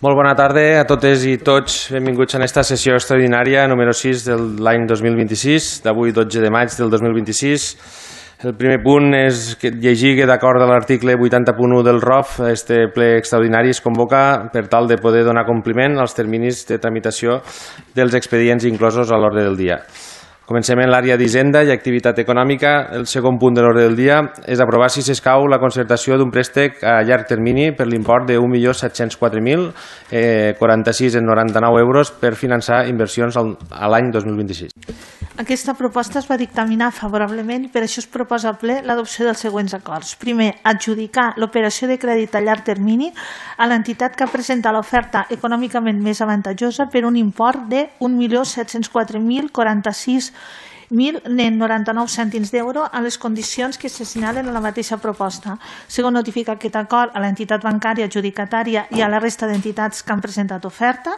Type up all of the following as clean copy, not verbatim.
Molt bona tarda a totes i tots. Benvinguts a aquesta sessió extraordinària número 6 de l'any 2026, d'avui 12 de maig del 2026. El primer punt és llegir que d'acord a l'article 80.1 del ROF, este ple extraordinari es convoca per tal de poder donar compliment als terminis de tramitació dels expedients inclosos a l'ordre del dia. Comencem en l'àrea d'Hisenda i Activitat Econòmica. El segon punt de l'ordre del dia és aprovar, si s'escau, la concertació d'un préstec a llarg termini per l'import de 1.704.046,99 euros per finançar inversions a l'any 2026. Aquesta proposta es va dictaminar favorablement i per això es proposa al ple l'adopció dels següents acords. Primer, adjudicar l'operació de crèdit a llarg termini a l'entitat que presenta l'oferta econòmicament més avantatjosa per un import de 1.704.046,99 cèntims d'euro a les condicions que s'assenyalen en la mateixa proposta. Segon, notificar aquest acord a l'entitat bancària adjudicatària i a la resta d'entitats que han presentat oferta.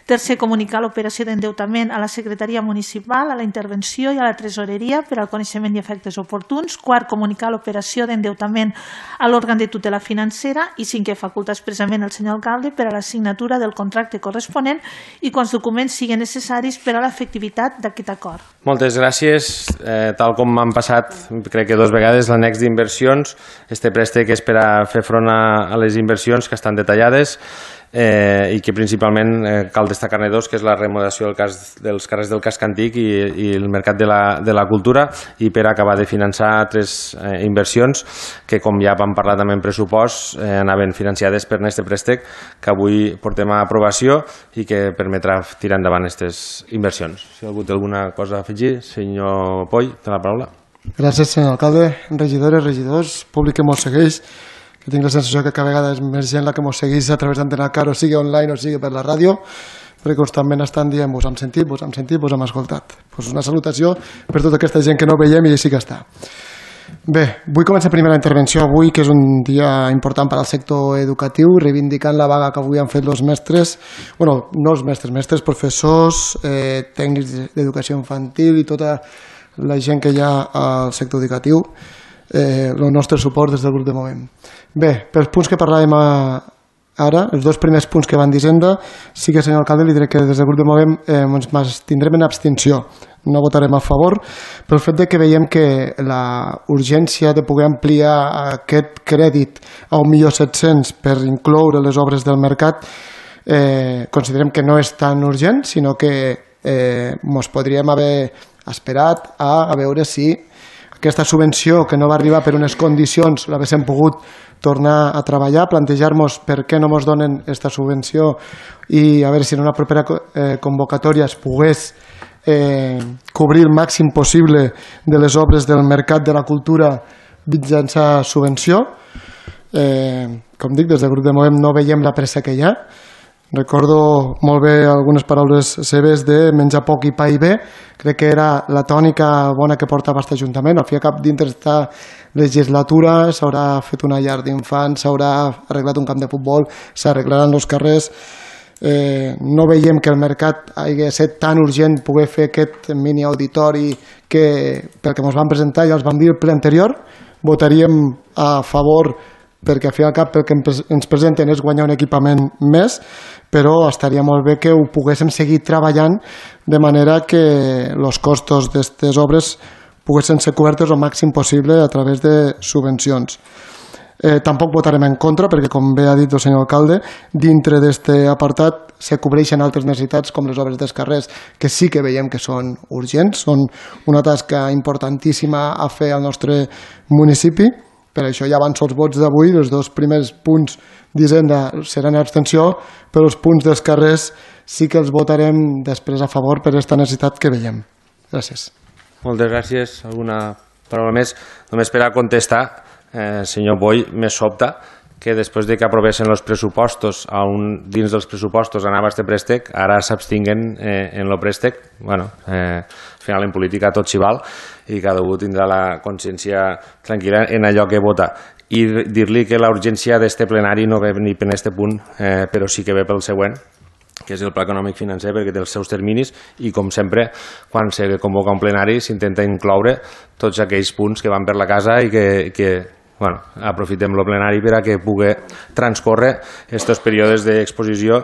Tercer, comunicar l'operació d'endeutament a la Secretaria Municipal, a la Intervenció i a la Tresoreria per al coneixement i efectes oportuns. Quart, comunicar l'operació d'endeutament a l'òrgan de tutela financera. I cinquè, facultar expressament el senyor alcalde per a la signatura del contracte corresponent i quants documents siguin necessaris per a l'efectivitat d'aquest acord. Moltes gràcies. Tal com m'han passat, crec que 2 vegades, l'annex d'inversions, este préstec és per a fer front a les inversions que estan detallades i que principalment cal destacar-ne 2, que és la remodelació dels carrers del casc antic i el mercat de la cultura, i per acabar de finançar 3 inversions que, com ja vam parlar també en pressupost, anaven financiades per aquest préstec que avui portem a aprovació i que permetrà tirar endavant aquestes inversions. Si algú té alguna cosa a afegir, senyor Poll, té la paraula. Gràcies, senyor alcalde, regidores, regidors, públic que mos segueix, que tinc la sensació que cada vegada és més gent la que mos segueix a través d'Antena Car, o sigui online o sigui per la ràdio, perquè constantment estan dient vos hem sentit, vos hem escoltat. Pues una salutació per tota aquesta gent que no veiem i sí que està. Bé, vull començar primer la intervenció avui, que és un dia important per al sector educatiu, reivindicant la vaga que avui han fet els mestres, bueno, no els mestres, professors, tècnics d'educació infantil i tota la gent que hi ha al sector educatiu. El nostre suport des del grup de Movem. Bé, pels punts que parlàvem ara, els 2 primers punts que van d'Hisenda, sí que, senyor alcalde, li diré que des del grup de Movem ens tindrem en abstenció. No votarem a favor pel fet de que veiem que la urgència de poder ampliar aquest crèdit a 1.700.000 per incloure les obres del mercat considerem que no és tan urgent, sinó que ens podríem haver esperat a veure si aquesta subvenció que no va arribar per unes condicions l'haguéssim pogut tornar a treballar, plantejar-nos per què no ens donen aquesta subvenció i a veure si en una propera convocatòria es pogués cobrir el màxim possible de les obres del mercat de la cultura mitjançant subvenció. Com dic, des del grup de Movem no veiem la pressa que hi ha. Recordo molt bé algunes paraules seves de menjar poc i pa i bé. Crec que era la tònica bona que portava aquest Ajuntament. Al fi i al cap, dintre d'esta legislatura s'haurà fet una llar d'infants, s'haurà arreglat un camp de futbol, s'arreglaran els carrers. No veiem que el mercat hagi estat tan urgent poder fer aquest mini auditori que pel que ens van presentar ja els vam dir el ple anterior. Votaríem a favor perquè al fi i al cap el que ens presenten és guanyar un equipament més, però estaria molt bé que ho poguéssim seguir treballant de manera que els costos d'aquestes obres poguessin ser cobertes el màxim possible a través de subvencions. Tampoc votarem en contra perquè, com bé ha dit el senyor alcalde, dintre d'aquest apartat se cobreixen altres necessitats com les obres dels carrers, que sí que veiem que són urgents, són una tasca importantíssima a fer al nostre municipi. Per això ja avanço els vots d'avui. Els 2 primers punts d'Hisenda seran en abstenció, però els punts dels carrers sí que els votarem després a favor per aquesta necessitat que veiem. Gràcies. Moltes gràcies. Alguna paraula més? Només per a contestar, senyor Boy, me sobta que després de que aprovessin els pressupostos, dins dels pressupostos anava este préstec, ara s'abstinguen en el préstec. Bueno, al final en política tot s'hi val i cada un tindrà la consciència tranquil·la en allò que vota. I dir-li que la urgència d'este plenari no ve ni per aquest punt, però sí que ve pel següent, que és el Pla Econòmic Financer, perquè té els seus terminis i, com sempre, quan se convoca un plenari s'intenta incloure tots aquells punts que van per la casa i que aprofitem el plenari per a que pugui transcórrer aquests períodes d'exposició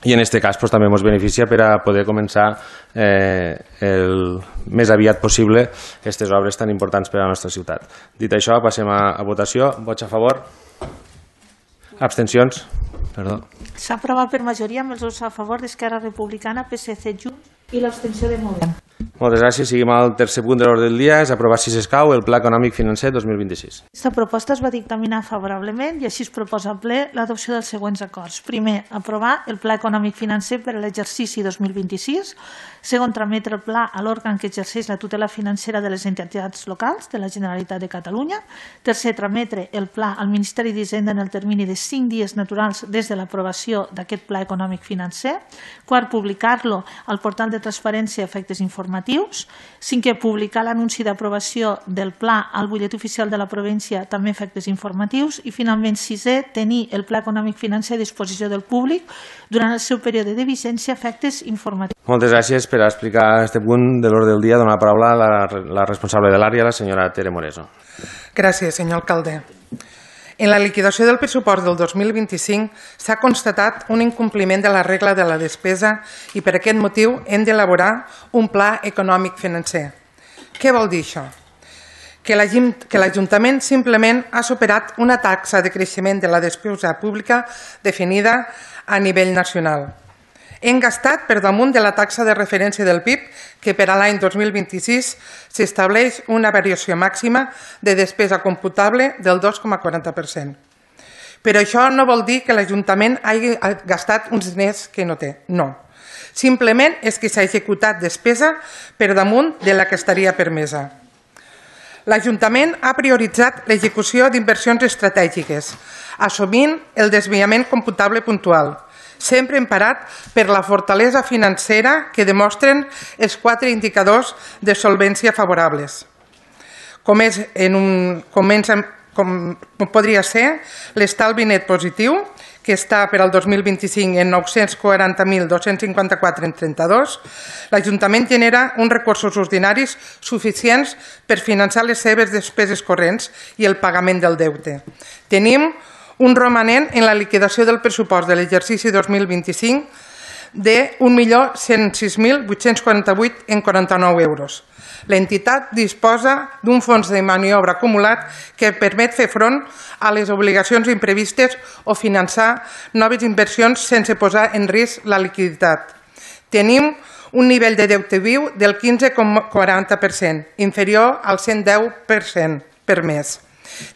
i en aquest cas també ens beneficia per a poder començar el més aviat possible aquestes obres tan importants per a la nostra ciutat. Dit això, passem a votació. Vots a favor? Abstencions? Perdó. S'ha aprovat per majoria amb els vots a favor d'Esquerra Republicana, PSC, Junts i l'abstenció de Movem. Moltes gràcies. Seguim al tercer punt de l'ordre del dia. És aprovar, si s'escau, el Pla Econòmic Financer 2026. Aquesta proposta es va dictaminar favorablement i així es proposa al ple l'adopció dels següents acords. Primer, aprovar el Pla Econòmic Financer per a l'exercici 2026. Segon, trametre el pla a l'òrgan que exerceix la tutela financera de les entitats locals de la Generalitat de Catalunya. Tercer, trametre el pla al Ministeri d'Hisenda en el termini de 5 dies naturals des de l'aprovació d'aquest Pla Econòmic Financer. Quart, publicar-lo al portal de transparència i efectes informatius. Cinquè, publicar l'anunci d'aprovació del pla al butlletí oficial de la província, també efectes informatius. I finalment, sisè, tenir el Pla Econòmic Financer a disposició del públic durant el seu període de vigència, efectes informatius. Moltes gràcies. Per a explicar este punt de l'ordre del dia, donar la paraula a la responsable de l'àrea, la senyora Tere Moreso. Gràcies, senyor alcalde. En la liquidació del pressupost del 2025 s'ha constatat un incompliment de la regla de la despesa i per aquest motiu hem d'elaborar un pla econòmic financer. Què vol dir això? Que l'Ajuntament simplement ha superat una taxa de creixement de la despesa pública definida a nivell nacional. Hem gastat per damunt de la taxa de referència del PIB, que per a l'any 2026 s'estableix una variació màxima de despesa computable del 2,40%. Però això no vol dir que l'Ajuntament hagi gastat uns diners que no té. No. Simplement és que s'ha executat despesa per damunt de la que estaria permesa. L'Ajuntament ha prioritzat l'execució d'inversions estratègiques, assumint el desviament computable puntual, sempre emparat per la fortalesa financera que demostren els 4 indicadors de solvència favorables, com podria ser l'estalvi net positiu, que està per al 2025 en 940.254,32, l'Ajuntament genera uns recursos ordinaris suficients per finançar les seves despeses corrents i el pagament del deute. Tenim un romanent en la liquidació del pressupost de l'exercici 2025 de 1.106.848,49 euros. L'entitat disposa d'un fons de maniobra acumulat que permet fer front a les obligacions imprevistes o finançar noves inversions sense posar en risc la liquiditat. Tenim un nivell de deute viu del 15,40%, inferior al 110% per mes.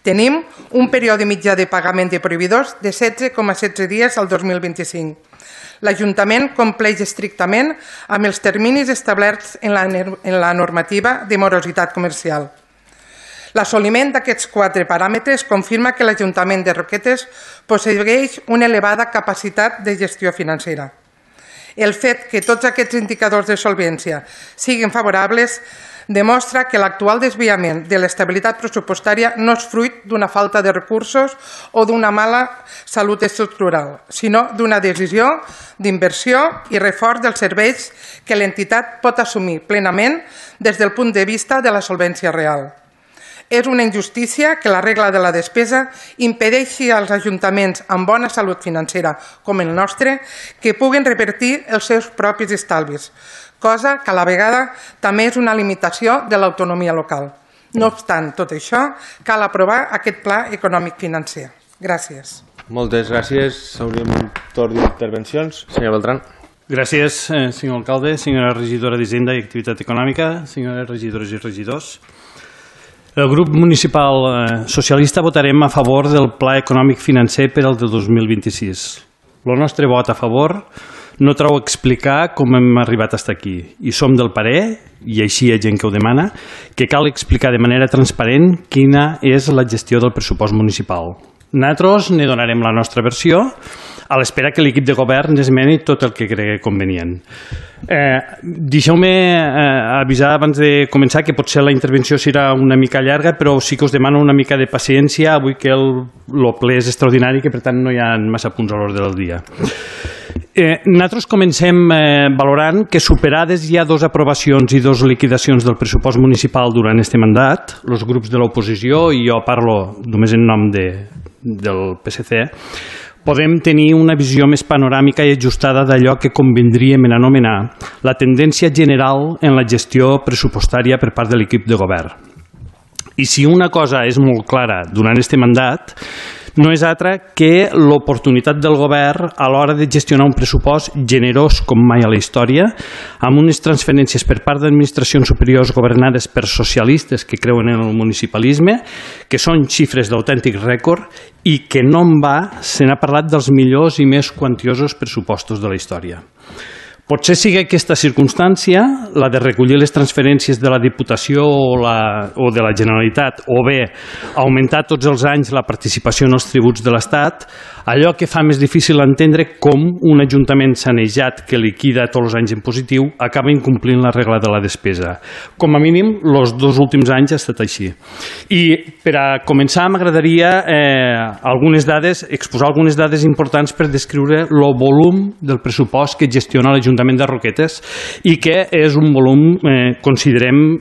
Tenim un període mitjà de pagament de proveïdors de 16,16 dies al 2025. L'Ajuntament compleix estrictament amb els terminis establerts en la normativa de morositat comercial. L'assoliment d'aquests 4 paràmetres confirma que l'Ajuntament de Roquetes posseeix una elevada capacitat de gestió financera. El fet que tots aquests indicadors de solvència siguin favorables demostra que l'actual desviament de l'estabilitat pressupostària no és fruit d'una falta de recursos o d'una mala salut estructural, sinó d'una decisió d'inversió i reforç dels serveis que l'entitat pot assumir plenament des del punt de vista de la solvència real. És una injustícia que la regla de la despesa impedeixi als ajuntaments amb bona salut financera, com el nostre, que puguen revertir els seus propis estalvis, cosa que a la vegada també és una limitació de l'autonomia local. No obstant tot això, cal aprovar aquest pla econòmic financer. Gràcies. Moltes gràcies. Obrim un torn d'intervencions. Senyor Beltrán. Gràcies, senyor alcalde, senyora regidora d'Hisenda i Activitat Econòmica, senyores regidores i regidors. El grup municipal socialista votarem a favor del Pla Econòmic Financer per al del 2026. El nostre vot a favor no treu explicar com hem arribat fins aquí i som del parer, i així hi ha gent que ho demana, que cal explicar de manera transparent quina és la gestió del pressupost municipal. Nosaltres ne donarem la nostra versió a l'espera que l'equip de govern esmeni tot el que cregui convenient. Deixeu-me avisar abans de començar que potser la intervenció serà una mica llarga, però sí que us demano una mica de paciència avui que el ple és extraordinari i que per tant no hi ha massa punts a l'ordre del dia. Nosaltres comencem valorant que superades ja 2 aprovacions i 2 liquidacions del pressupost municipal durant este mandat, els grups de l'oposició, i jo parlo només en nom del PSC, podem tenir una visió més panoràmica i ajustada d'allò que convindríem en anomenar la tendència general en la gestió pressupostària per part de l'equip de govern. I si una cosa és molt clara durant este mandat, no és altra que l'oportunitat del govern a l'hora de gestionar un pressupost generós com mai a la història, amb unes transferències per part d'administracions superiors governades per socialistes que creuen en el municipalisme, que són xifres d'autèntic rècord i que no en va, se n'ha parlat dels millors i més quantiosos pressupostos de la història. Potser sigui aquesta circumstància, la de recollir les transferències de la Diputació o de la Generalitat, o bé augmentar tots els anys la participació en els tributs de l'Estat, allò que fa més difícil entendre com un ajuntament sanejat que liquida tots els anys en positiu acaba incomplint la regla de la despesa. Com a mínim, els 2 últims anys ha estat així. I per a començar m'agradaria exposar algunes dades importants per descriure el volum del pressupost que gestiona l'Ajuntament de Roquetes i que és un volum, considerem,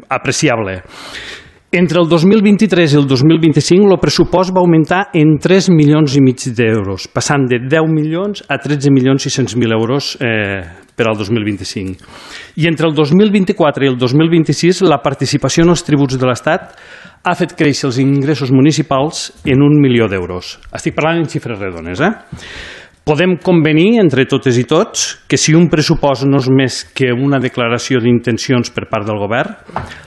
apreciable. Entre el 2023 i el 2025 el pressupost va augmentar en 3,5 milions d'euros, passant de 10 milions a 13.600.000 euros per al 2025. I entre el 2024 i el 2026 la participació en els tributs de l'Estat ha fet créixer els ingressos municipals en 1 milió d'euros. Estic parlant en xifres redones, Podem convenir entre totes i tots que si un pressupost no és més que una declaració d'intencions per part del govern,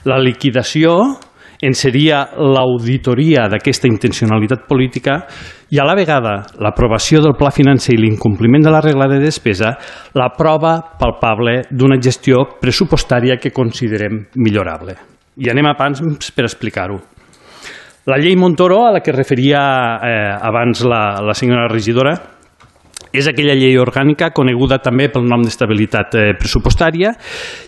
la liquidació en seria l'auditoria d'aquesta intencionalitat política i a la vegada l'aprovació del pla financer i l'incompliment de la regla de despesa la prova palpable d'una gestió pressupostària que considerem millorable. I anem a pams per explicar-ho. La llei Montoro, a la que referia abans la senyora regidora, és aquella llei orgànica coneguda també pel nom d'estabilitat pressupostària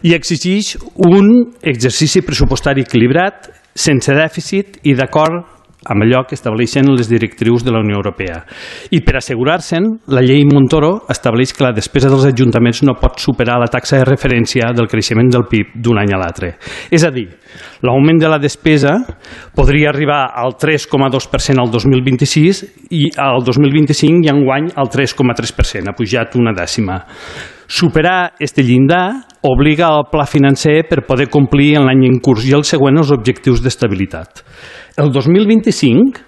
i exigeix un exercici pressupostari equilibrat, sense dèficit i d'acord amb allò que estableixen les directrius de la Unió Europea. I per assegurar-se'n, la llei Montoro estableix que la despesa dels ajuntaments no pot superar la taxa de referència del creixement del PIB d'un any a l'altre. És a dir, l'augment de la despesa podria arribar al 3,2% al 2026 i al 2025 i enguany al 3,3%, ha pujat una dècima. Superar este llindar obliga al pla financer per poder complir en l'any en curs i el següent els objectius d'estabilitat. El 2025,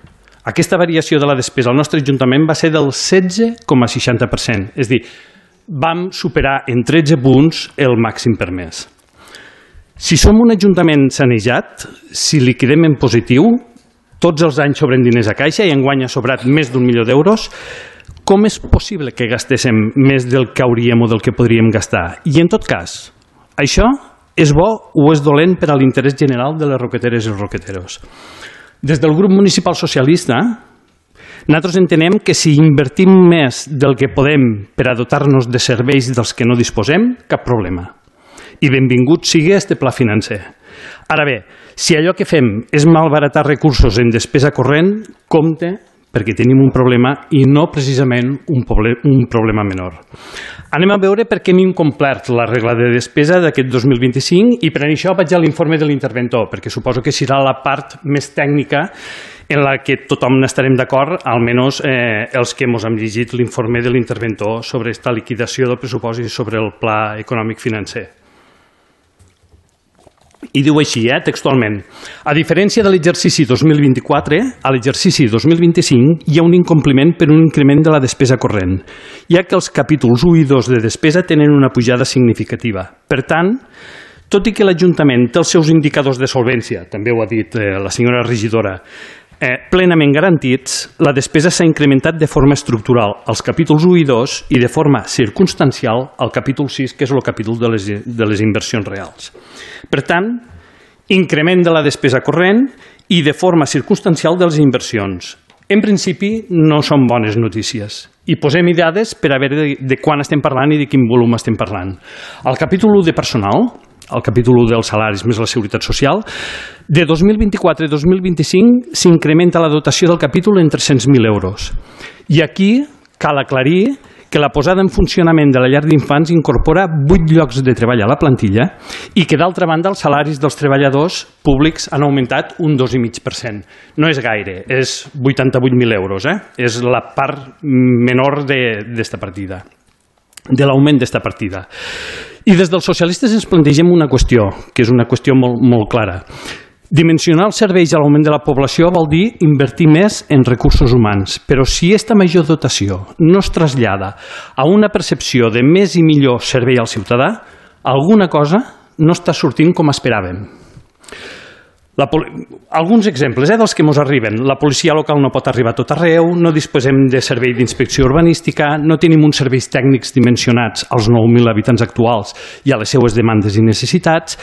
aquesta variació de la despesa al nostre Ajuntament va ser del 16,60%, és a dir, vam superar en 13 punts el màxim permès. Si som un Ajuntament sanejat, si liquidem en positiu, tots els anys sobren diners a caixa i enguany ha sobrat més d'1 milió d'euros, com és possible que gastéssim més del que hauríem o del que podríem gastar? I en tot cas, això és bo o és dolent per a l'interès general de les roqueteres i els roqueteros? Des del grup municipal socialista, nosaltres entenem que si invertim més del que podem per a dotar-nos de serveis dels que no disposem, cap problema. I benvingut sigui este pla financer. Ara bé, si allò que fem és malbaratar recursos en despesa corrent, compte perquè tenim un problema i no precisament un problema menor. Anem a veure per què hem incomplert la regla de despesa d'aquest 2025 i per això vaig a l'informe de l'interventor, perquè suposo que serà la part més tècnica en la que tothom n'estarem d'acord, almenys els que ens hem llegit l'informe de l'interventor sobre aquesta liquidació del pressupost i sobre el pla econòmic financer. I diu així, textualment, a diferència de l'exercici 2024, a l'exercici 2025 hi ha un incompliment per un increment de la despesa corrent, ja que els capítols 1 i 2 de despesa tenen una pujada significativa. Per tant, tot i que l'Ajuntament té els seus indicadors de solvència, també ho ha dit la senyora regidora, plenament garantits, la despesa s'ha incrementat de forma estructural als capítols 1 i 2 i de forma circumstancial al capítol 6, que és el capítol de les inversions reals. Per tant, increment de la despesa corrent i de forma circumstancial de les inversions. En principi, no són bones notícies. I posem dades per a veure de quan estem parlant i de quin volum estem parlant. Al capítol 1 de personal, al capítol 1 dels salaris més la seguretat social, de 2024 a 2025 s'incrementa la dotació del capítol en 300.000 euros. I aquí cal aclarir que la posada en funcionament de la llar d'infants incorpora 8 llocs de treball a la plantilla i que, d'altra banda, els salaris dels treballadors públics han augmentat un 2,5%. No és gaire, és 88.000 euros. És la part menor d'esta partida, de l'augment d'esta partida. I des dels socialistes ens plantegem una qüestió, que és una qüestió molt clara. Dimensionar els serveis a l'augment de la població vol dir invertir més en recursos humans, però si aquesta major dotació no es trasllada a una percepció de més i millor servei al ciutadà, alguna cosa no està sortint com esperàvem. Alguns exemples dels que ens arriben. La policia local no pot arribar a tot arreu, no disposem de servei d'inspecció urbanística, no tenim uns serveis tècnics dimensionats als 9.000 habitants actuals i a les seues demandes i necessitats,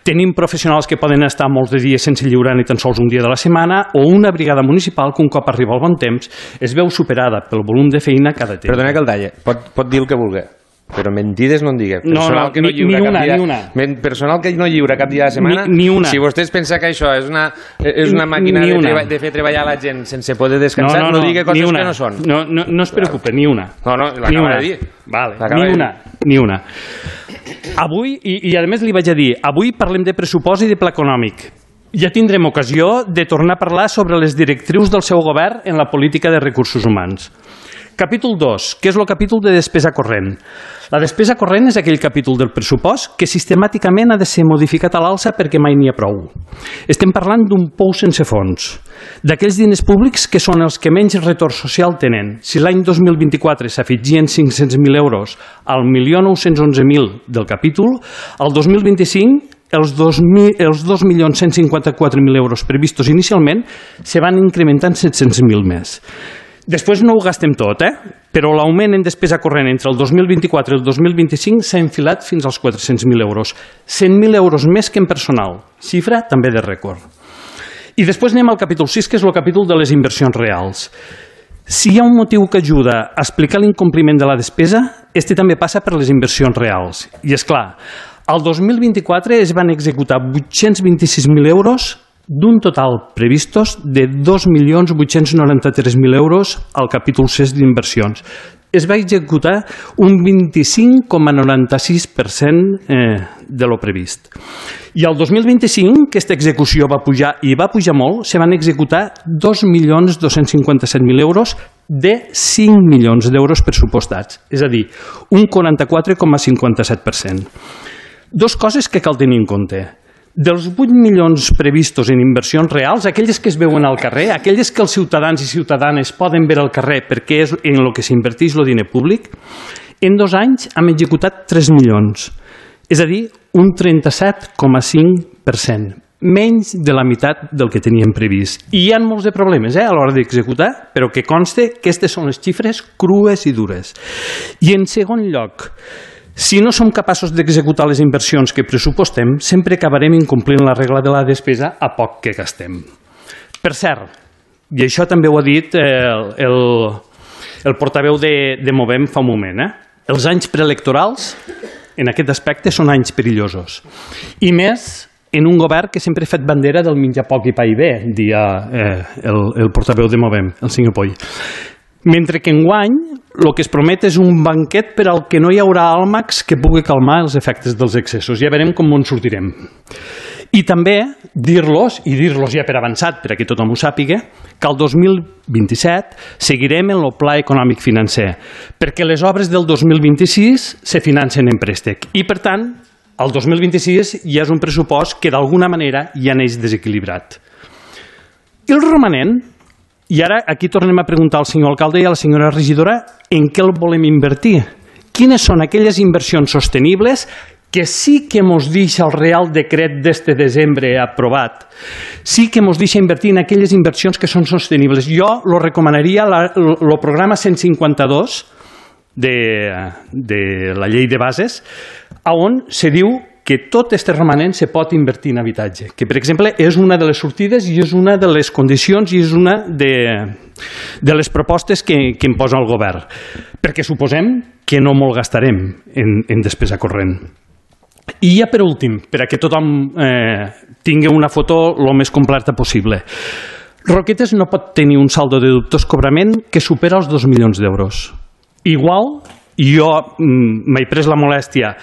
tenim professionals que poden estar molts de dies sense lliurar ni tan sols un dia de la setmana, o una brigada municipal que un cop arriba al bon temps es veu superada pel volum de feina cada temps. Perdona que el talle, pot dir el que vulgui, però mentides no en digui. Personal que no lliura cap dia de setmana. Ni una. Si vostès pensen que això és una màquina de fer treballar la gent sense poder descansar, no digui coses que no són. No es preocupe, ni una. No, l'acaba de dir. Vale, ni una. Avui, i a més li vaig a dir, avui parlem de pressupost i de pla econòmic. Ja tindrem ocasió de tornar a parlar sobre les directrius del seu govern en la política de recursos humans. Capítol 2, que és el capítol de despesa corrent. La despesa corrent és aquell capítol del pressupost que sistemàticament ha de ser modificat a l'alça perquè mai n'hi ha prou. Estem parlant d'un pou sense fons, d'aquells diners públics que són els que menys retorn social tenen. Si l'any 2024 s'afegien 500.000 euros al 1.911.000 del capítol, al 2025 els 2.154.000 euros previstos inicialment se van incrementant 700.000 més. Després no ho gastem tot, però l'augment en despesa corrent entre el 2024 i el 2025 s'ha enfilat fins als 400.000 euros. 100.000 euros més que en personal, xifra també de rècord. I després anem al capítol 6, que és el capítol de les inversions reals. Si hi ha un motiu que ajuda a explicar l'incompliment de la despesa, este també passa per les inversions reals. I és clar, al 2024 es van executar 826.000 euros d'un total previstos de 2.893.000 euros al capítol 6 d'inversions. Es va executar un 25,96% de lo previst. I al 2025, aquesta execució va pujar, i va pujar molt, se van executar 2.257.000 euros de 5 milions d'euros pressupostats, és a dir, un 44,57%. Dos coses que cal tenir en compte. Dels 8 milions previstos en inversions reals, aquelles que es veuen al carrer, aquelles que els ciutadans i ciutadanes poden veure al carrer perquè és en el que s'inverteix el diner públic, en 2 anys hem executat 3 milions, és a dir, un 37,5%, menys de la meitat del que teníem previst. I hi ha molts de problemes a l'hora d'executar, però que conste que aquestes són les xifres crues i dures. I en segon lloc, si no som capaços d'executar les inversions que pressupostem, sempre acabarem incomplint la regla de la despesa a poc que gastem. Per cert, i això també ho ha dit el portaveu de Movem fa un moment, els anys preelectorals en aquest aspecte són anys perillosos. I més en un govern que sempre ha fet bandera del menjar poc i pa i bé, dia el portaveu de Movem, el senyor Poll. Mentre que enguany el que es promet és un banquet per al que no hi haurà àlmacs que pugui calmar els efectes dels excessos. Ja veurem com en sortirem. I també dir-los, i dir-los ja per avançat, perquè tothom ho sàpiga, que el 2027 seguirem en el pla econòmic financer, perquè les obres del 2026 se financen en préstec. I, per tant, el 2026 ja és un pressupost que d'alguna manera ja neix desequilibrat. I el romanent, i ara aquí tornem a preguntar al senyor alcalde i a la senyora regidora en què el volem invertir. Quines són aquelles inversions sostenibles que sí que ens deixa el Real Decret d'este desembre aprovat, sí que ens deixa invertir en aquelles inversions que són sostenibles. Jo lo recomanaria el programa 152 de la llei de bases, on se diu que tot este romanent se pot invertir en habitatge, que per exemple és una de les sortides i és una de les condicions i és una de les propostes que em posa el govern, perquè suposem que no molt gastarem en despesa corrent. I ja per últim, per a que tothom tingui una foto el més completa possible, Roquetes no pot tenir un saldo de dubtós cobrament que supera els 2 milions d'euros. Igual i jo m'he pres la molèstia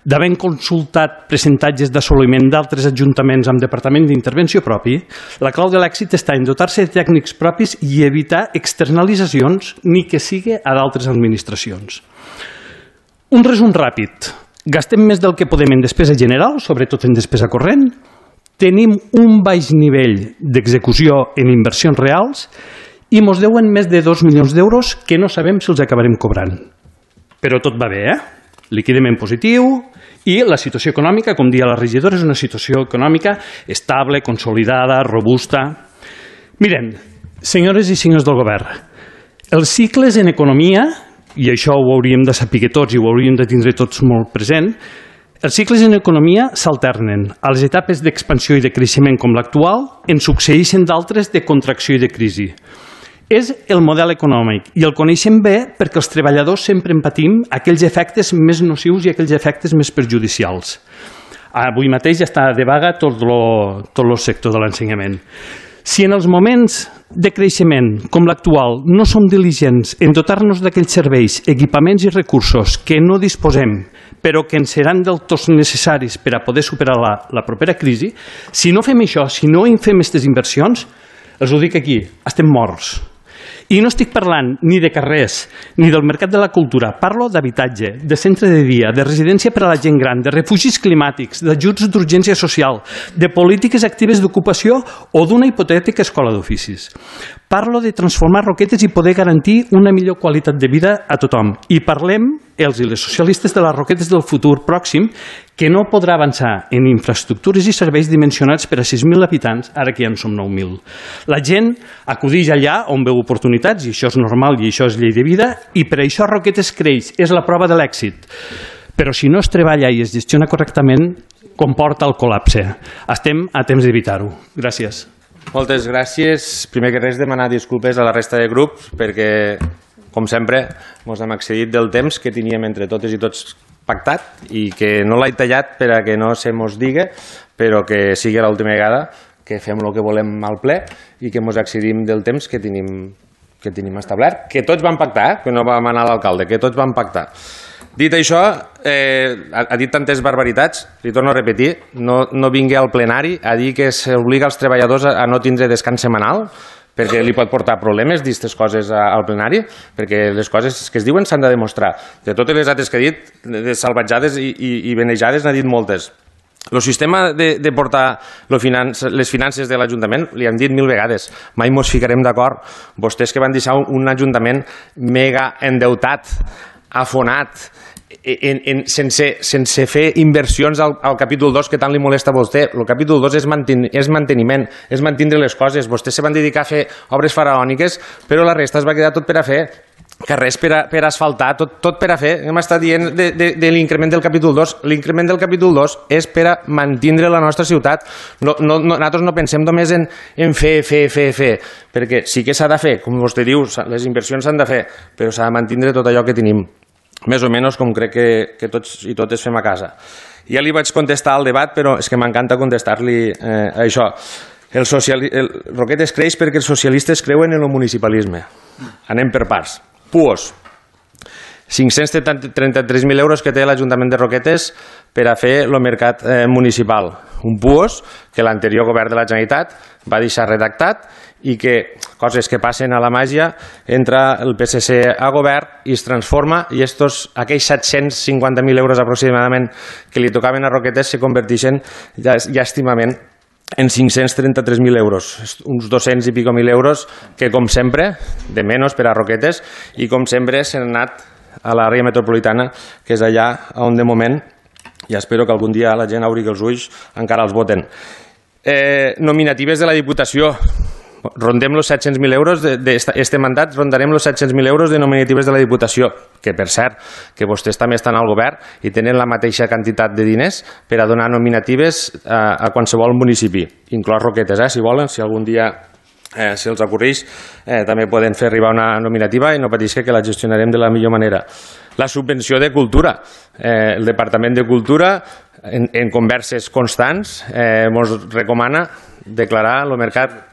d'haver consultat percentatges d'assoliment d'altres ajuntaments amb departament d'intervenció propi, la clau de l'èxit està en dotar-se de tècnics propis i evitar externalitzacions ni que sigui a d'altres administracions. Un resum ràpid. Gastem més del que podem en despesa general, sobretot en despesa corrent. Tenim un baix nivell d'execució en inversions reals i mos deuen més de 2 milions d'euros que no sabem si els acabarem cobrant. Però tot va bé, liquidem en positiu i la situació econòmica, com deia la regidora, és una situació econòmica estable, consolidada, robusta. Miren, senyores i senyors del govern, els cicles en economia, i això ho hauríem de saber tots i ho hauríem de tindre tots molt present, els cicles en economia s'alternen. A les etapes d'expansió i de creixement com l'actual en succeeixen d'altres de contracció i de crisi. És el model econòmic i el coneixem bé perquè els treballadors sempre en patim aquells efectes més nocius i aquells efectes més perjudicials. Avui mateix ja està de vaga tot el sector de l'ensenyament. Si en els moments de creixement com l'actual no som diligents en dotar-nos d'aquells serveis, equipaments i recursos que no disposem però que ens seran del tot necessaris per a poder superar la propera crisi, si no fem això, si no fem aquestes inversions, els ho dic aquí, estem morts. I no estic parlant ni de carrers, ni del mercat de la cultura. Parlo d'habitatge, de centre de dia, de residència per a la gent gran, de refugis climàtics, d'ajuts d'urgència social, de polítiques actives d'ocupació o d'una hipotètica escola d'oficis. Parlo de transformar Roquetes i poder garantir una millor qualitat de vida a tothom. I parlem, els i les socialistes, de les Roquetes del futur pròxim, que no podrà avançar en infraestructures i serveis dimensionats per a 6.000 habitants, ara que ja en som 9.000. La gent acudeix allà on veu oportunitats, i això és normal i això és llei de vida, i per això Roquetes creix, és la prova de l'èxit. Però si no es treballa i es gestiona correctament, comporta el col·lapse. Estem a temps d'evitar-ho. Gràcies. Moltes gràcies. Primer que res, demanar disculpes a la resta de grups perquè, com sempre, ens hem excedit del temps que teníem entre totes i tots pactat i que no l'he tallat per a que no se mos digui, però que sigui l'última vegada que fem el que volem al ple i que ens excedim del temps que tenim establert, que tots vam pactar, que no vam anar a l'alcalde, que tots vam pactar. Dit això, ha dit tantes barbaritats, li torno a repetir, no vingui al plenari a dir que s'obliga els treballadors a no tindre descans setmanal, perquè li pot portar problemes dir aquestes coses al plenari, perquè les coses que es diuen s'han de demostrar. De totes les altres que ha dit, de salvatjades i benejades n'ha dit moltes. El sistema de portar les finances de l'Ajuntament, li hem dit 1000 vegades, mai ens ficarem d'acord. Vostès que van deixar un Ajuntament mega endeutat, afonat, sense fer inversions al capítol 2 que tant li molesta a vostè. El capítol 2 és manteniment, és mantenir les coses. Vostès se van dedicar a fer obres faraòniques, però la resta es va quedar tot per a fer carrers per asfaltar, tot per a fer. Hem estat dient de l'increment del capítol 2. L'increment del capítol 2 és per a mantenir la nostra ciutat. Nosaltres no pensem només en fer, perquè sí que s'ha de fer, com vostè diu, les inversions s'han de fer, però s'ha de mantenir tot allò que tenim, més o menys com crec que tots i totes fem a casa. Ja li vaig contestar al debat, però és que m'encanta contestar-li a això. Roquetes creix perquè els socialistes creuen en el municipalisme. Anem per parts. PUOS. 533.000 euros que té l'Ajuntament de Roquetes per a fer el mercat municipal. Un PUOS que l'anterior govern de la Generalitat va deixar redactat i que, coses que passen a la màgia, entra el PSC a govern i es transforma i aquells 750.000 euros aproximadament que li tocaven a Roquetes se converteixen llàstimament en 533.000 euros, uns 200 i pico mil euros que, com sempre, de menys per a Roquetes i com sempre s'han anat a l'àrea metropolitana, que és allà on de moment, i espero que algun dia la gent obri els ulls, encara els voten. Nominatives de la Diputació. Rondem els 700.000 euros d'este mandat, rondarem els 700.000 euros de nominatives de la Diputació, que per cert, que vostès també estan al govern i tenen la mateixa quantitat de diners per a donar nominatives a qualsevol municipi, inclòs Roquetes, si volen, si algun dia se'ls acurreix, també poden fer arribar una nominativa i no pateixi que la gestionarem de la millor manera. La subvenció de cultura. El Departament de Cultura, en converses constants, ens recomana declarar el mercat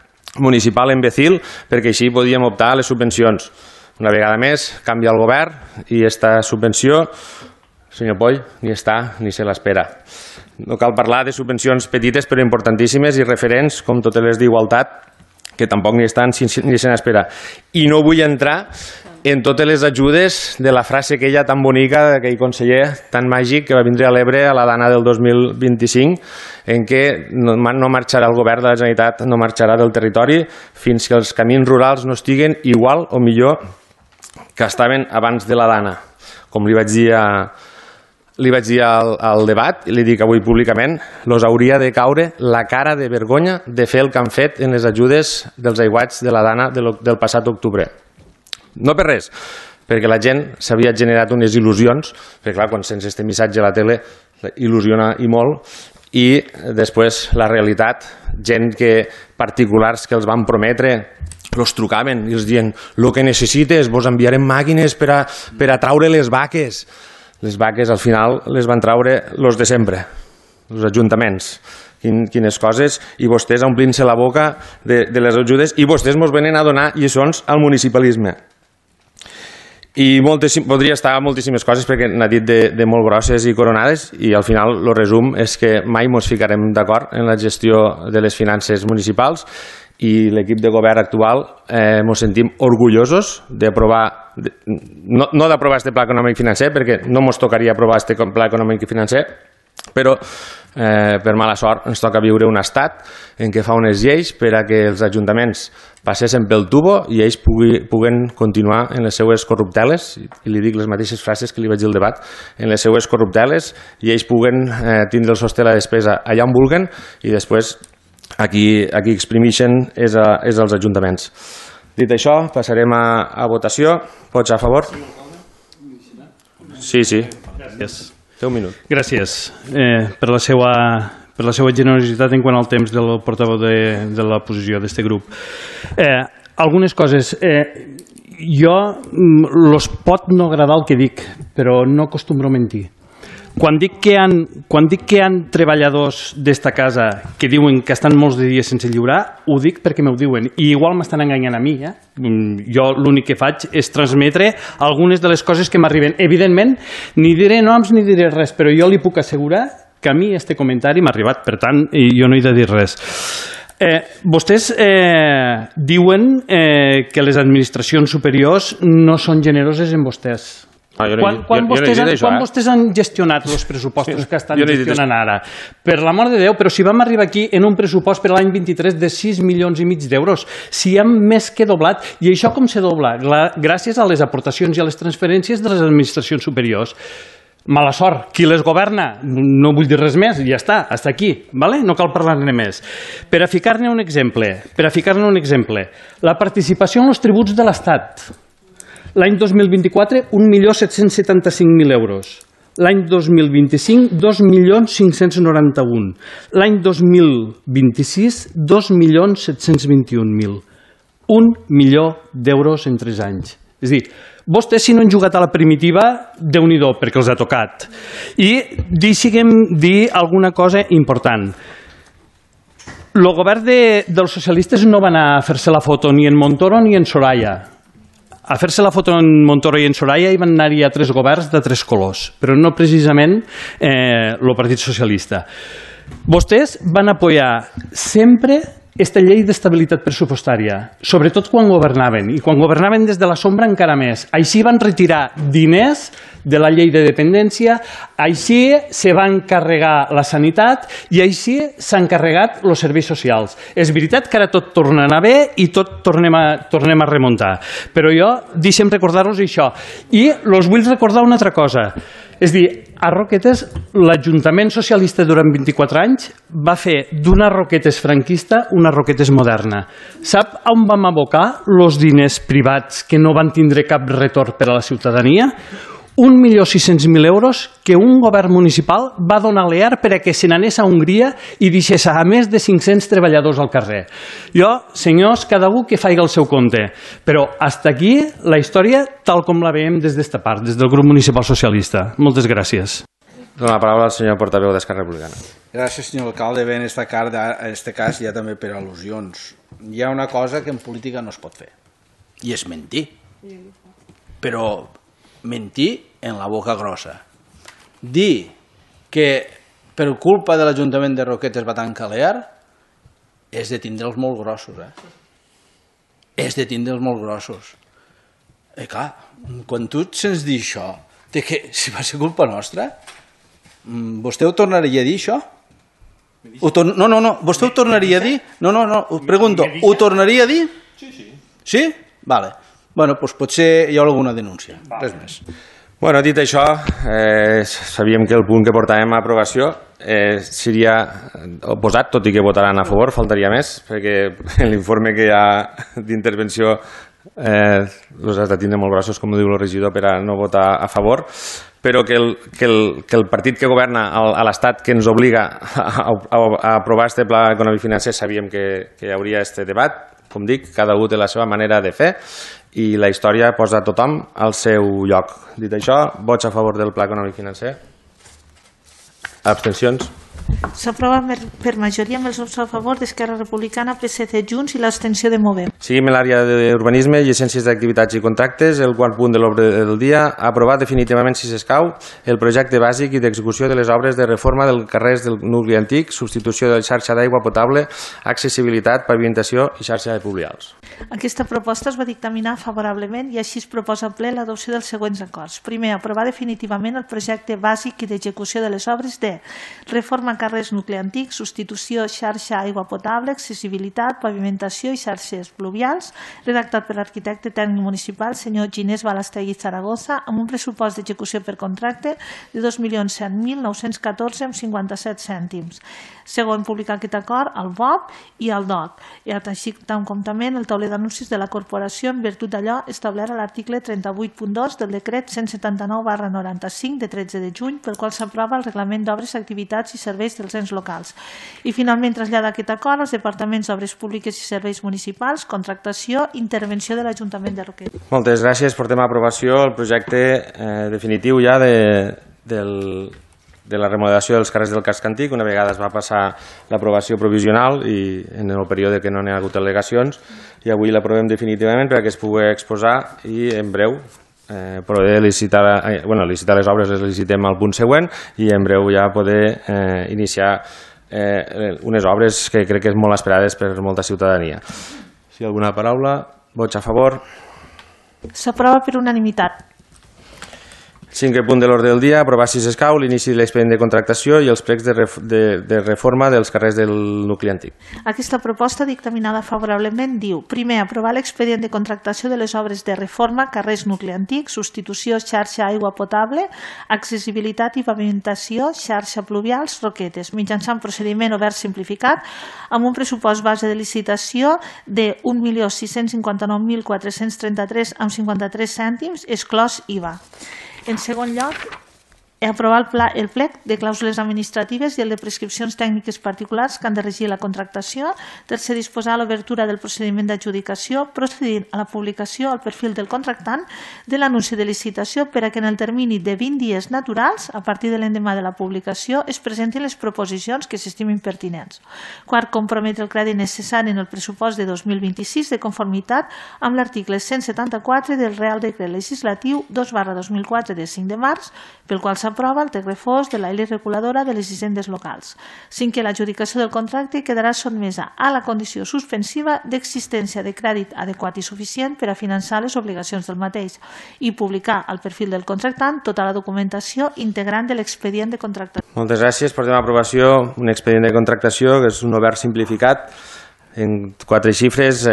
municipal imbècil perquè així podíem optar a les subvencions. Una vegada més, canvia el govern i esta subvenció, senyor Poll, ni està ni se l'espera. No cal parlar de subvencions petites però importantíssimes i referents, com totes les d'igualtat, que tampoc ni estan ni se n'espera. I no vull entrar en totes les ajudes de la frase aquella tan bonica d'aquell conseller tan màgic que va vindre a l'Ebre a la Dana del 2025, en què no marxarà el govern de la Generalitat, no marxarà del territori fins que els camins rurals no estiguen igual o millor que estaven abans de la Dana. Com li vaig dir al debat, i li dic avui públicament, els hauria de caure la cara de vergonya de fer el que han fet en les ajudes dels aiguats de la Dana del passat octubre. No per res, perquè la gent s'havia generat unes il·lusions, perquè clar, quan sents aquest missatge a la tele il·lusiona i molt, i després la realitat, gent particulars que els van prometre, els trucaven i els diuen el que necessites, vos enviarem màquines per a traure les vaques. Les vaques al final les van traure els de sempre, els ajuntaments. Quines coses, i vostès omplint-se la boca de les ajudes, i vostès ens venen a donar lliçons al municipalisme. I podria estar moltíssimes coses perquè n'ha dit de molt grosses i coronades, i al final el resum és que mai ens ficarem d'acord en la gestió de les finances municipals, i l'equip de govern actual ens sentim orgullosos d'aprovar, no d'aprovar este pla econòmic financer, perquè no ens tocaria aprovar este pla econòmic i financer, però per mala sort ens toca viure un estat en què fa unes lleis per a que els ajuntaments passessin pel tubo i ells puguen continuar en les seues corrupteles, i li dic les mateixes frases que li vaig dir al debat, en les seues corrupteles, i ells puguen tindre el sostre de la despesa allà on vulguen, i després aquí exprimeixen és als ajuntaments. Dit això, passarem a votació. Pots a favor? Sí. Gràcies. Té un minut. Gràcies per la seva generositat en quant al temps del portaveu de la posició d'aquest grup. Algunes coses. Jo els pot no agradar el que dic, però no acostumbro a mentir. Quan dic que hi ha treballadors d'esta casa que diuen que estan molts de dies sense lliurar, ho dic perquè m'ho diuen, i igual m'estan enganyant a mi. Jo l'únic que faig és transmetre algunes de les coses que m'arriben. Evidentment, ni diré noms ni diré res, però jo li puc assegurar que a mi este comentari m'ha arribat, per tant, jo no he de dir res. Vostès diuen que les administracions superiors no són generoses amb vostès. Quan vostès han gestionat els pressupostos que estan gestionant ara? Per l'amor de Déu, però si vam arribar aquí en un pressupost per l'any 23 de 6,5 milions d'euros, si hem més que doblat, i això com se dobla? Gràcies a les aportacions i a les transferències de les administracions superiors. Mala sort, qui les governa? No vull dir res més, ja està, hasta aquí, no cal parlar-ne més. Per a ficar-ne un exemple, la participació en els tributs de l'Estat. L'any 2024, 1.775.000 euros. L'any 2025, 2.591.000. L'any 2026, 2.721.000. 1 milió d'euros en 3 anys. És a dir, vostès si no han jugat a la primitiva, Déu-n'hi-do, perquè els ha tocat. I deixi'm dir alguna cosa important. El govern dels socialistes no va anar a fer-se la foto ni en Montoro ni en Soraya. A fer-se la foto en Montoro i en Soraya hi van anar-hi a 3 governs de 3 colors, però no precisament el Partit Socialista. Vostès van apoyar sempre aquesta llei d'estabilitat pressupostària, sobretot quan governaven, i quan governaven des de la sombra encara més. Així van retirar diners de la llei de dependència, així se va encarregar la sanitat i així s'han encarregat els serveis socials. És veritat que ara tot torna a anar bé i tot tornem a remuntar, però jo deixem recordar-vos això. I els vull recordar una altra cosa. És a dir, a Roquetes, l'Ajuntament Socialista durant 24 anys va fer d'una Roquetes franquista una Roquetes moderna. Sap on vam abocar els diners privats que no van tindre cap retorn per a la ciutadania? 1.600.000 euros que un govern municipal va donar a l'EAR per a que se n'anés a Hongria i deixés a més de 500 treballadors al carrer. Jo, senyors, cada un que faci el seu compte, però hasta aquí la història tal com la veiem des d'esta part, des del grup municipal socialista. Moltes gràcies. Dona la paraula al senyor portaveu d'Esquerra Republicana. Gràcies, senyor alcalde. Bé, en aquest cas ja també per al·lusions. Hi ha una cosa que en política no es pot fer, i és mentir. però mentir en la boca grossa. Dir que per culpa de l'Ajuntament de Roquetes va tancar l'EAR és de tindre'ls molt grossos, És de tindre'ls molt grossos. I clar, quan tu sents dir això, que si va ser culpa nostra, vostè ho tornaria a dir, això? No, vostè ho tornaria a dir? No, us pregunto, ho tornaria a dir? Sí? Vale. Bueno, doncs potser hi ha alguna denúncia, res més. Bueno, dit això, sabíem que el punt que portàvem a aprovació seria oposat, tot i que votaran a favor, faltaria més, perquè l'informe que hi ha d'intervenció els has de tindre molt grossos, com diu el regidor, per a no votar a favor, però que el partit que governa a l'Estat, que ens obliga a aprovar aquest pla econòmic financer, sabíem que hi hauria aquest debat. Com dic, cada un té la seva manera de fer i la història posa tothom al seu lloc. Dit això, vots a favor del pla econòmic financer? Abstencions? S'aprova per majoria amb els vots a favor d'Esquerra Republicana, PSC, Junts i l'abstenció de Movem. Seguim en l'àrea d'urbanisme, llicències d'activitats i contractes. El quart punt de l'ordre del dia, aprovar definitivament, si s'escau, el projecte bàsic i d'execució de les obres de reforma del carrers del nucli antic, substitució de la xarxa d'aigua potable, accessibilitat, pavimentació i xarxa de pluvials. Aquesta proposta es va dictaminar favorablement i així es proposa al ple l'adopció dels següents acords. Primer, aprovar definitivament el projecte bàsic i d'execució de les obres de reforma carrers nucli antic, substitució xarxa aigua potable, accessibilitat, pavimentació i xarxes pluvials, redactat per l'arquitecte tècnic municipal, senyor Ginés Balastegui Zaragoza, amb un pressupost d'execució per contracte de 2.107.914,57 cèntims. Segon, publicar aquest acord al BOP i al DOC, i així com també el tauler d'anuncis de la corporació en virtut d'allò establert a l'article 38.2 del decret 179/95 de 13 de juny, pel qual s'aprova el reglament d'obres, activitats i serveis dels ens locals. I finalment traslladar aquest acord als departaments d'obres públiques i serveis municipals, contractació i intervenció de l'Ajuntament de Roquetes. Moltes gràcies. Portem a aprovació el projecte definitiu ja de la remodelació dels carrers del casc antic. Una vegada es va passar l'aprovació provisional i en el període que no n'hi ha hagut al·legacions, i avui l'aprovem definitivament perquè es pugui exposar i en breu poder licitar les obres, les licitem al punt següent i en breu ja poder iniciar unes obres que crec que és molt esperades per molta ciutadania. Si hi ha alguna paraula, vots a favor? S'aprova per unanimitat. Cinquè punt de l'ordre del dia, aprovar si s'escau l'inici de l'expedient de contractació i els plecs de reforma dels carrers del nucli antic. Aquesta proposta dictaminada favorablement diu: primer, aprovar l'expedient de contractació de les obres de reforma, carrers nucli antic, substitució xarxa aigua potable, accessibilitat i pavimentació, xarxa pluvials, Roquetes, mitjançant procediment obert simplificat, amb un pressupost base de licitació de 1.659.433,53 cèntims, exclòs IVA. En segon lloc, aprovar el plec de clàusules administratives i el de prescripcions tècniques particulars que han de regir la contractació. Tercer, disposar l'obertura del procediment d'adjudicació, procedint a la publicació al perfil del contractant de l'anunci de licitació per a que en el termini de 20 dies naturals, a partir de l'endemà de la publicació, es presentin les proposicions que s'estimin pertinents. Quart, comprometre el crèdit necessari en el pressupost de 2026 de conformitat amb l'article 174 del Real Decret Legislatiu 2/2004 de 5 de març, pel qual s'aprova el text refós de la llei reguladora de les hisendes locals. Cinquè, l'adjudicació del contracte quedarà sotmesa a la condició suspensiva d'existència de crèdit adequat i suficient per a finançar les obligacions del mateix i publicar al perfil del contractant tota la documentació integrant de l'expedient de contractació. Moltes gràcies. Portem a aprovació un expedient de contractació que és un obert simplificat. En 4 xifres,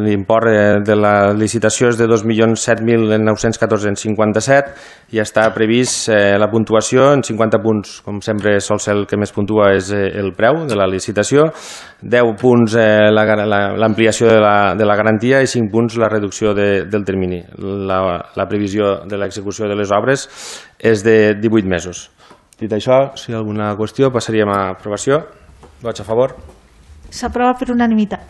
l'import de la licitació és de 2.007.914,57 i està previst la puntuació en 50 punts. Com sempre sol ser el que més puntua és el preu de la licitació, 10 punts l'ampliació de la garantia i 5 punts la reducció del termini. La previsió de l'execució de les obres és de 18 mesos. Dit això, si hi ha alguna qüestió, passaríem a aprovació. Vots a favor? S'aprova per unanimitat.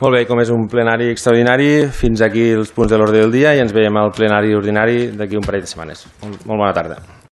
Molt bé, com és un plenari extraordinari, fins aquí els punts de l'ordre del dia i ens veiem al plenari ordinari d'aquí un parell de setmanes. Molt bona tarda.